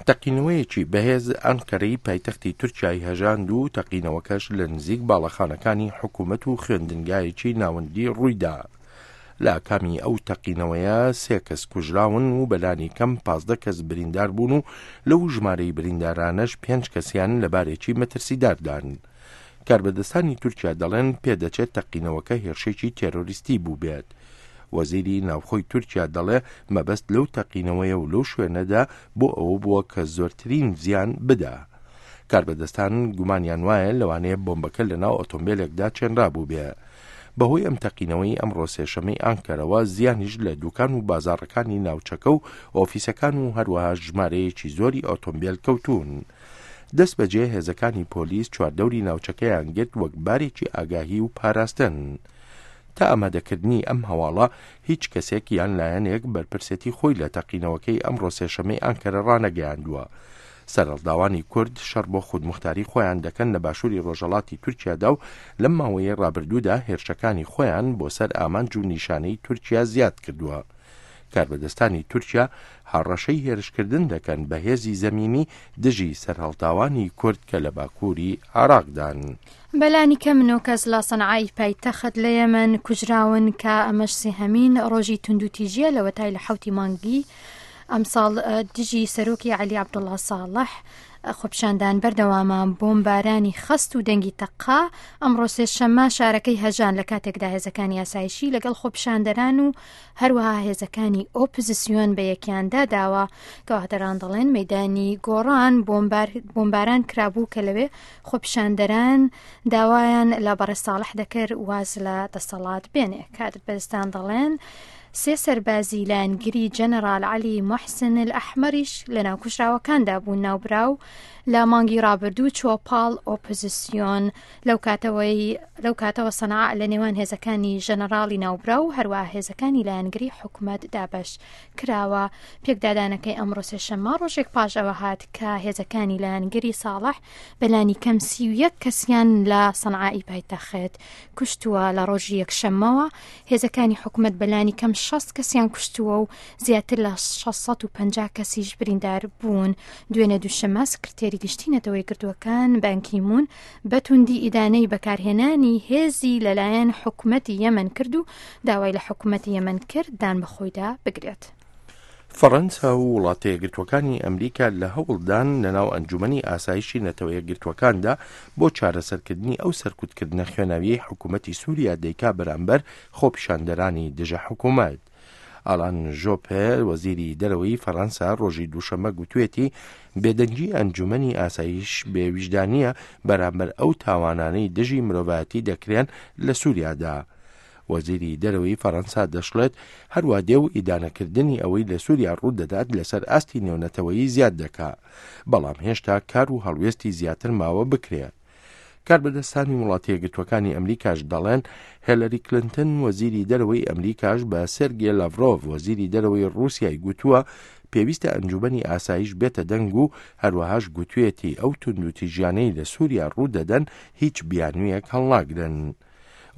تەقینەوەیەکی بەهێز ئەنقەرەی پایتەختی تورکیای هەژاند و تەقینەوەکەش لە نزیک باڵەخانەکانی حکوومەت و خوێندنگایەکی ناوەندی ڕوویدا. لە ئاکامی ئەو تەقینەوەیە سێ کەس کوژراون و بەلانی کەم 15 کەس بریندار بوون و لەو ژمارەی بریندارانەش پێنج کەسیان لە بارێکی مەترسیداردان. کاربەدەستانی تورکیا دەڵێن پێدەچێت تەقینەوەکە هێرشێکی تێرۆریستی بووبێت. وەزیری ناوخۆی تورکیا دەڵێ مەبەست لەو تەقینەوەیە و لەو شوێنەدا بۆ ئەوە بووە کە زۆرترین زیان بدا. کاربەدەستان گومانیان وایە لەوانەیە بۆمبەکە لەناو ئۆتۆمبێلێکدا چێنرابووبێ. بەهۆی ئەم تەقینەوەی ئەمڕۆ سێشەمەی ئانکەرەوە زیانیش لە دوکان و بازاڕەکانی ناوچەکە و ئۆفیسەکان و هەروەها ژمارەیەکی زۆری ئۆتۆمبێل کەوتوون. دەستبەجێ هێزەکانی پۆلیس چواردەوری ناوچەکەیان گرت وەک بارێکی ئاگاهی و پاراستن. تا ئامادەکردنی ئەم هەواڵە هیچ کەسێک یان لایەنێک بەرپرسێتی خۆی لە تەقینەوەکەی ئەمڕۆ سێشەمەی ئانکەرە ڕانەگەیاندووە. سەرهەڵداوانی کورد شەڕ بۆ خودموختاری خۆیان دەکەن لە باشووری ڕۆژهەڵاتی تورکیادا و لەم ماوەیەی ڕابردوودا هێرشەکانی خۆیان بۆ سەر ئامانج و نیشانەی تورکیا زیاد کردووە. کاربەدەستانی تورکیا هەڕەشەی هێرشکردن دەکەن بە هێزی زەمینی دژی سەرهەڵداوانی کورد کە لە باکووری عێراقدان. بەلانی کەم نۆ کەس لە سەنعای پایتەخت لە یەمەن کوژراون کە ئەمەش سێهەمین ڕۆژی توندوتیژیە لەوەتای لە حەوتی مانگی ئەمساڵ دژی سەرۆکی عەلی عەبدوڵا ساڵح خۆپیشاندان بەردەوامە بۆمبارانی خەست و دەنگی تەقە ئەمڕۆ سێشەممە شارەکەی هەژان لە کاتێکدا هێزەکانی ئاسایشی لەگەڵ خۆپیشاندەران و هەروەها هێزەکانی ئۆپزسیۆن بە یەکیاندا داوە گەواهدەران دەڵێن مەدانی گۆڕان بۆمباران کرابوو کە لەوێ خۆپیشاندەران داوایان لە بەڕێز ساڵح دەکرد واز لە دەسەڵات بێنێ. کاربەدەستان دەڵێن سێ سەربازی لایەنگری جەنەرال عەلی موحسن ئەلئەحمەریش لەناو کوژراوەکاندا بوون. ناوبراو لە مانگی ڕابردوو چووە پاڵ ئۆپۆزیسیۆن. لەو کاتەوەی لەو کاتەوە سەنعا لە نێوان هێزەکانی ژەنەراڵی ناوبراو و هەروەها هێزەکانی لایەنگری حکومەت دابەش کراوە. پێکدادانەکەی ئەمڕۆ سێشەممە ڕۆژێک پاش ئەوە هات کە هێزەکانی لایەنگری ساڵح بەلانی کەم 31 کەسیان لە سەنعائی پایتەخت کوشتووە. لە ڕۆژی یەکشەممەوە هێزەکانی حکومەت بەلانی کەم 60 کەسیان کوشتووە و زیاتر لە 650 کەسیش بریندار بوون. دوێنێ دووشەممە سکرتێری گشتی نەتەوە یەکگرتووەکان بان کی مون بە توندی ئیدانەی بەکارهێنانی هێزی لەلایەن حکومەتی یەمەن کرد و داوای لە حکومەتی یەمەن کرد دان بەخۆیدا بگرێت. فەڕەنسا و وڵاتە یەکگرتووەکانی ئەمریکا لە هەوڵدان لەناو ئەنجومەنی ئاسایشی نەتەوە یەکگرتووەکاندا بۆ چارەسەرکردنی ئەو سەرکوتکردنە خوێناویەی حکومەتی سوریا دەیکا بەرامبەر خۆپیشاندەرانی دژە حکومەت. ئالان ژۆپێ وەزیری دەرەوەی فەڕەنسا ڕۆژی دووشەممە گوتوێتی بێدەنگی ئەنجومەنی ئاسایش بێویژدانییە بەرامبەر ئەو تاوانانەی دژی مرۆڤایەتی دەکرێن لە سوریادا. وەزیری دەرەوەی فەڕەنسا دەشڵێت، هەروا دێ و ئیدانەکردنی ئەوەی لە سووریا ڕوودەدات لەسەر ئاستی نێونەتەوەیی زیاد دەکا، بەڵام هێشتا کار و هەڵوێستی زیاتر ماوە بکرێ. کاربەدەستانی وڵاتە یەکگرتووەکانی ئەمریکاش دەڵێن، هێلەری کلنتن وەزیری دەرەوەی ئەمریکاش بە سێرگێ لاڤرۆڤ وەزیری دەرەوەی ڕووسیای گوتووە پێویستە ئەنجومەنی ئاسایش بێتە دەنگ و هەروەهاش گوتوێتی ئەو توندوتیژیانەی لە سووریا ڕوودەدەن هیچ بیانوویەک هەڵناگرن.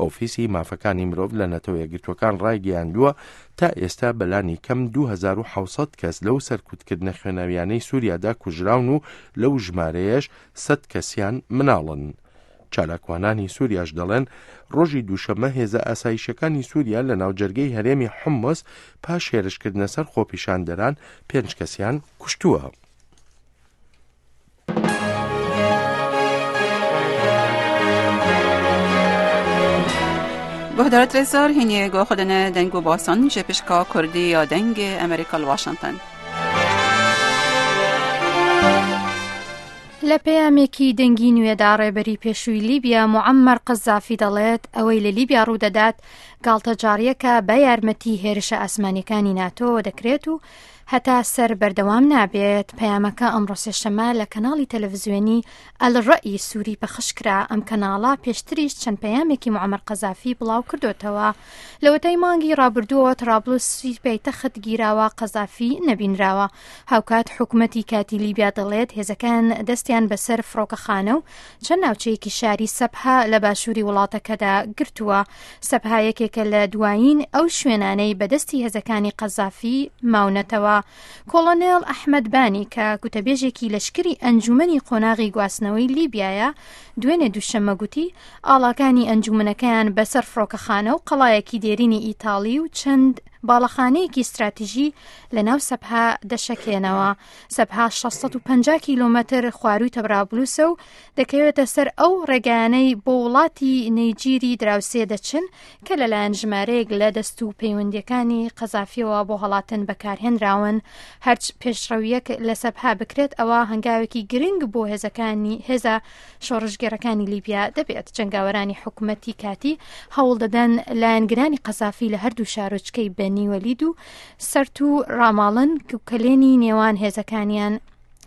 ئۆفیسی مافەکانی مرۆڤ لە نەتەوە یەکگرتووەکان ڕایگەیاندووە، تا ئێستا بەلانی کەم 2700 کەس لەو سەرکوتکردنە خوێناویانەی سووریادا کوژراون و لەو ژمارەیەش 100 کەسیان مناڵن. چالاکوانانی سووریاش دەڵێن، ڕۆژی دووشەممە هێزە ئاسایشیەکانی سووریا لە ناوجەرگەی هەرێمی حومس پاش هێرشکردنە سەر خۆپیشاندەران پێنج کەسیان کوشتووە. گهدارت رزار هینی گو خودن دنگ و باسان جه پشکا کردی یا دنگ امریکا واشنگتن. لە پەیامێکی دەنگی نوێدا ڕێبەری پێشووی لیبیا موعەممەر قەزافی دەڵێت ئەوەی لە لیبیا ڕوودەدات گاڵتەجاڕیەکە بە یارمەتی هێرشە ئاسمانیەکانی ناتۆوە دەکرێت و هەتا سەر بەردەوام نابێت. پەیامەکە ئەمڕۆ سێشەممە لە کەناڵی تەلەڤزیۆنی ئەلڕەئی سوری پەخش کرا. ئەم کەناڵە پێشتریش چەند پەیامێکی موعەمەر قەزافی بڵاو کردۆتەوە. لەوەتای مانگی ڕابردووەوە ترابلسی پایتەخت گیراوە، قەزافی نەبینراوە. هاوکات حکومەتی کاتی لیبیا دەڵێت هێزەکان دەستیان بەسەر فڕۆکەخانە و چەند ناوچەیەکی شاری سەبها لە باشووری وڵاتەکەدا گرتووە. سەبها یەکێکە لە دوایین ئەو شوێنانەی بەدەستی هێزەکانی قەزافی ماونەتەوە. کۆڵۆنێڵ ئەحمەد بانی کە گوتەبێژێکی لەشکری ئەنجومەنی قۆناغی گواستنەوەی لیبیایە، دوێنێ دووشەممە گوتی، ئاڵاکانی ئەنجومەنەکەیان بەسەر فڕۆکەخانە و قەڵایەکی دێرینی ئیتاڵی و چەند باڵەخانەیەکی ستراتیژی لەناو سەبها دەشەکێنەوە. سەبها 650 کیلۆمەتر خوارووی تەبرابلوسە و دەکەوێتە سەر ئەو ڕێگایانەی بۆ وڵاتی نەیجیری دراوسێ دەچن کە لەلایەن ژمارەیەک لە دەست و پەیوەندیەکانی قەزافیەوە بۆ هەڵاتن بەکارهێنراون. هەرچ پێشڕەویەک لە سەبها بکرێت ئەوە هەنگاوێکی گرنگ بۆ هێزەکانی هێزە شۆڕشگێڕەکانی لیبیا دەبێت. جەنگاوەرانی حکومەتی کاتی هەوڵدەدەن لایەنگرانی قەزافی لە هەردوو شارۆچکەی بەنی وەلید و سەرت و ڕاماڵن کەلێنی نێوان هێزەکانیان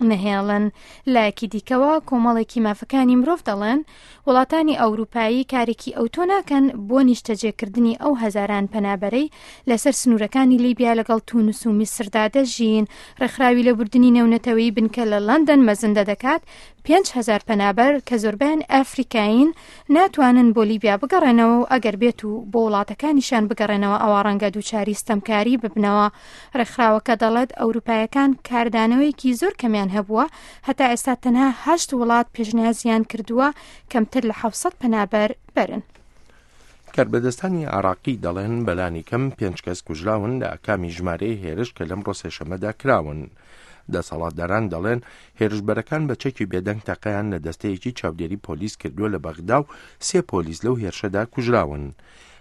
نەهێڵن. لایەکی دیکەوە کۆمەڵێکی مافەکانی مرۆڤ دەڵێن وڵاتانی ئەوروپایی کارێکی ئەوتۆ ناکەن بۆ نیشتەجێکردنی ئەو هەزاران پەنابەرەی لەسەر سنوورەکانی لیبیا لەگەڵ تونس و میسردا دەژین. ڕێکخراوی لێبوردنی نێونەتەوەیی بنکە لە لەندەن مەزندە دەکات 5000 پەنابەر کە زۆربەیان ئەفریکایین ناتوانن بۆ لیبیا بگەڕێنەوە و ئەگەر بێت و بۆ وڵاتەکانیشیان بگەڕێنەوە ئەوا ڕەنگە دووچاری ستەمکاری ببنەوە. ڕێکخراوەکە دەڵێت ئەوروپایەکان کاردانەوەیەکی زۆر کەمیان هەبووە، هەتا ئێستا تەنها هەشت وڵات پێشنیازیان کردووە کەمتر لە 700 پەنابەر بەرن. کاربەدەستانی عێراقی دەڵێن بەلانی کەم پێنج کەس کوژراون لە ئاکامی ژمارەی هێرش کە لەمڕۆ سێشەممەدا کراون. دەسەڵاتداران دەڵێن هێرشبەرەکان بە چەکی بێدەنگ تەقەیان لە دەستەیەکی چاودێری پۆلیس کردووە لە بەغدا و سێ پۆلیس لەو هێرشەدا کوژراون.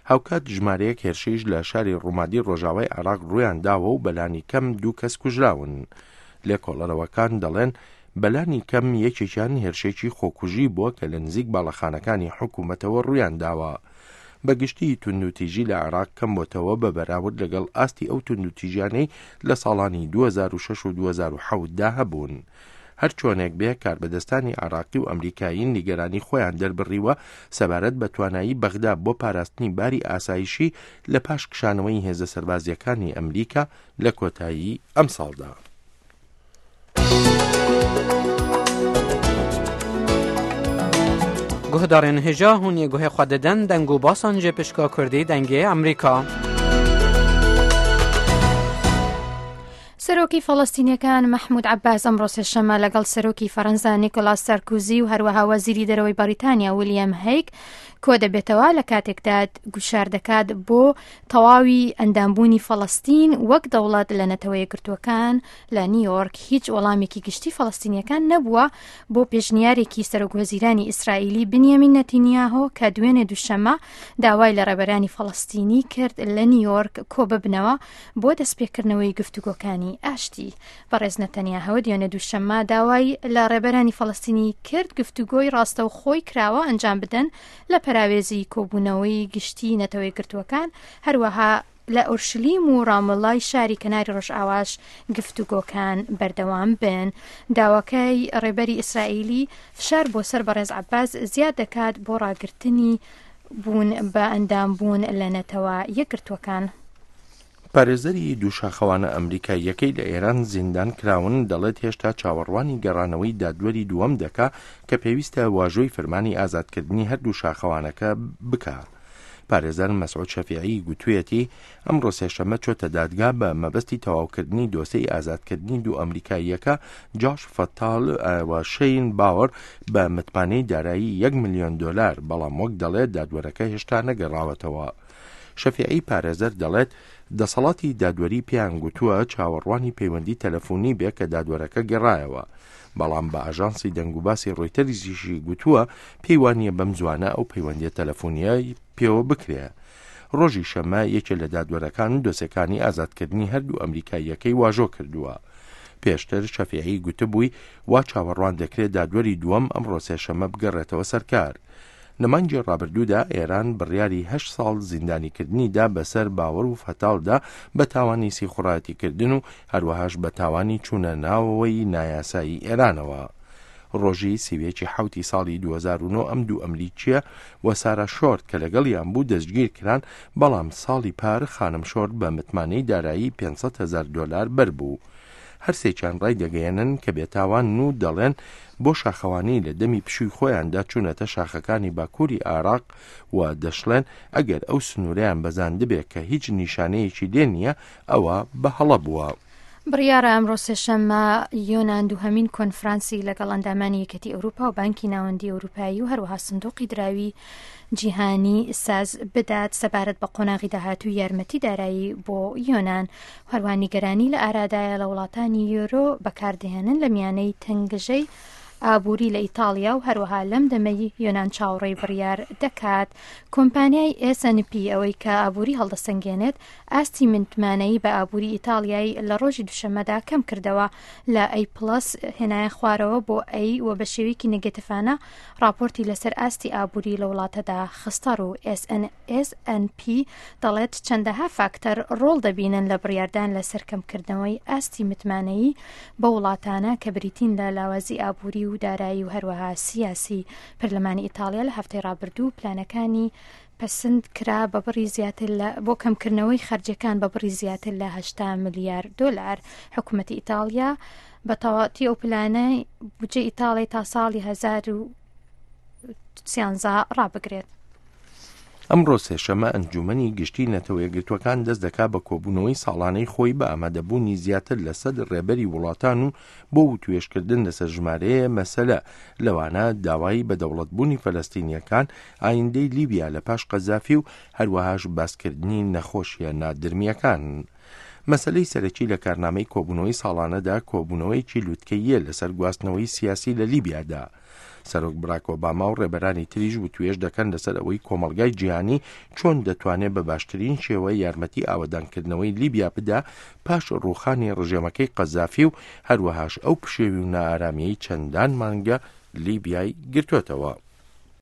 هاوکات ژمارەیەک هێرشیش لە شاری ڕومادی ڕۆژاوای عێراق ڕوویان داوە و بەلانی کەم دوو کەس کوژراون. لێکۆڵەرەوەکان دەڵێن بەلانی کەم یەکێکیان هێرشێکی خۆکوژی بووە کە لە نزیک باڵەخانەکانی حکوومەتەوە ڕوویان داوە. بە گشتی توندوتیژی لە عێراق کەم بۆتەوە بە بەراورد لەگەڵ ئاستی ئەو توندوتیژیانەی لە ساڵانی 2006 و 2007 دا هەبوون. هەرچۆنێک بێ کاربەدەستانی عێراقی و ئەمریکایی نیگەرانی خۆیان دەربڕیوە سەبارەت بە توانایی بەغدا بۆ پاراستنی باری ئاسایشی لە پاش کشانەوەی هێزە سەربازییەکانی ئەمریکا لە کۆتایی ئەمساڵدا. Guhdarên hêja hûn yê guhê xwe didin deng û basan ji pişka Kurdî dengê Amerîka. سەرۆکی فەڵەستینیەکان مەحمود عەباس ئەمڕۆ سێشەممە لەگەڵ سەرۆکی فەرەنسا نیکۆلاس سارکوزی و هەروەها وەزیری دەرەوەی بەریتانیا ویلیام هەیگ کۆدەبێتەوە لە کاتێکدا گوشار دەکات بۆ تەواوی ئەندامبوونی فەڵەستین وەک دەوڵەت لە نەتەوە یەکگرتووەکان لە نیویۆرک هیچ وەڵامێکی گشتی فەڵەستینیەکان نەبووە بۆ پێشنیارێکی سەرۆکوەزیرانی ئیسرائیلی بنیامین نەتینیاهۆ کە دوێنێ دووشەممە داوای لە ڕێبەرانی فەڵەستینی کرد لە نیویۆرک کۆببنەوە بۆ دەستپێکردنەوەی گفتوگۆکانی ئاشتی. بەڕێز نەتەنیاهۆ دوێنێ دووشەممە داوای لە ڕێبەرانی فەڵەستینی کرد گفتوگۆی ڕاستەوخۆی کراوە ئەنجام بدەن لە پەراوێزی کۆبوونەوەی گشتی نەتەوە یەکگرتووەکان، هەروەها لە ئۆرشلیم و ڕامەڵای شاری کەناری ڕۆژئاواش گفتوگۆکان بەردەوام بن. داواکەی ڕێبەری ئیسرائیلی فشار بۆ سەر بەڕێز عەباس زیاد دەکات بۆ ڕاگرتنی بوون بە ئەندام بوون لە نەتەوە یەکگرتووەکان. پارێزەری دوو شاخەوانە ئەمریکاییەکەی لە ئێران زیندان کراون، دەڵێت هێشتا چاوەڕوانی گەڕانەوەی دادوەری دووەم دەکا کە پێویستە واژۆی فرمانی ئازادکردنی هەردوو شاخەوانەکە بکا. پارێزەر مەسعود شەفیعی گوتویەتی، ئەمڕۆ سێشەممە چۆتە دادگا بە مەبەستی تەواوکردنی دۆسێی ئازادکردنی دوو ئەمریکاییەکە جاش فەتال و شەین باوەر بە متمانەی دارایی یەک ملیۆن دۆلار، بەڵام وەک دەڵێت دادوەرەکە هێشتا نەگەڕاوەتەوە. شەفیعی پارێزەر دەڵێت، دەسەڵاتی دادوەری پێیان گوتووە چاوەڕوانی پەیوەندی تەلەفونی بێ کە دادوەرەکە گەڕایەوە، بەڵام بە ئاژانسی دەنگوباسی ڕۆیتەرزیشی گوتووە پێی وانییە بەم زووانە ئەو پەیوەندییە تەلەفونییە پێوە بکرێ. ڕۆژی شەممە یەکێ لە دادوەرەکان دۆسێکانی ئازادکردنی هەردوو ئەمریکاییەکەی واژۆ کردووە. پێشتر شەفیعی گوتبووی وا چاوەڕوان دەکرێ دادوەری دووەم ئەمڕۆ سێشەممە بگەڕێتەوە سەر کار. لە مانگی ڕابردوودا ئێران بڕیاری هەشت ساڵ زیندانیکردنی دا بەسەر باوەر و فەتاڵدا بە تاوانی سیخوڕایەتیکردن و هەروەهاش بە تاوانی چوونە ناوەوەی نایاسایی ئێرانەوە. ڕۆژی سی و یەک ی حەوتی ساڵی 2009 ئەم دوو ئەمریکییە و سارا شۆرت کە لەگەڵیان بوو دەستگیر کران، بەڵام ساڵی پار خانم شۆرت بە متمانەی دارایی 500 هەزار دۆلار بەربوو. هەرسێکیان ڕایدەگەیەنن کە بێتاوانن و دەڵێن بۆ شاخەوانی لە دەمی پشووی خۆیاندا چوونەتە شاخەکانی باکووری عێراق و دەشڵێن ئەگەر ئەو سنوورەیان بەزاندبێ کە هیچ نیشانەیەکی لێ نییە ئەوە بە هەڵە بووە. بڕیارە ئەمڕۆ سێشەممە یۆنان دووهەمین کۆنفرانسی لەگەڵ ئەندامانی یەکێتی ئەوروپا و بانکی ناوەندی ئەوروپایی و هەروەها سندوقی دراوی جیهانی ساز بدات سەبارەت بە قۆناغی داهاتوو یارمەتی دارایی بۆ یۆنان هەروە نیگەرانی لە ئارادایە لە وڵاتانی یۆرۆ بەکاردەهێنن لە میانەی تەنگژەی ئابووری لە ئیتاڵیا و هەروەها لەم دەمەی یۆنان چاوەڕێی بڕیار دەکات کۆمپانیای S&P ئەوەی کە ئابووری هەڵدەسەنگێنێت ئاستی متمانەیی بە ئابووری ئیتاڵیای لە ڕۆژی دوشەممەدا کەم کردەوە لە ئەی پڵەس هێنایە خوارەوە بۆ ئەی و بە شێوەیەکی نگەتفانە ڕاپۆرتی لەسەر ئاستی ئابووری لە وڵاتەدا خستەڕوو. S&P دەڵێت چەندەها فاکتەر ڕۆڵ دەبینن لە بڕیاردان لەسەر کەمکردنەوەی ئاستی متمانەیی بەو وڵاتانە کە بریتین لە لاوازی ئابووری و دارایی و هەروەها سیاسی. پەرلەمانی ئیتاڵیا لە هەفتەی ڕابردوو پلانەکانی پەسند کرا بە بڕی زیاتر لە بۆ کەمکردنەوەی خەرجەکان بە بڕی زیاتر لە 80 ملیار دۆلار. حکوومەتی ئیتاڵیا بە تەواتی ئەو پلانەی بودجەی ئیتاڵی تا ساڵی 2013 ڕابگرێت. ئەمڕۆ سێشەمە ئەنجومەنی گشتی نەتەوەیەکگرتووەکان دەست دەکا بە کۆبوونەوەی ساڵانەی خۆی بە ئامادەبوونی زیاتر لە سەد ڕێبەری وڵاتان و بۆ وتوێژکردن لەسەر ژمارەیە مەسەلە لەوانە داوای بە دەوڵەتبوونی فەلەستینییەکان، ئایندەی لیبیا لە پاش قەزافی و هەروەهاش باسکردنی نەخۆشیە نادرمییەکان. مەسەلەی سەرەکی لە کارنامەی کۆبوونەوەی ساڵانەدا کۆبوونەوەیەکی لوتکەییە لەسەر گواستنەوەی سیاسی لە لیبیادا. سەرۆک براک ئۆباما و ڕێبەرانی تریش وتوێژ دەکەن لەسەر ئەوەی کۆمەڵگای جیهانی چۆن دەتوانێت بە باشترین شێوە یارمەتی ئاوەدانکردنەوەی لیبیا بدا پاش ڕووخانی ڕژێمەکەی قەزافی و هەروەهاش ئەو پشێوی و نائارامیەی چەندان مانگە لیبیای گرتووەتەوە.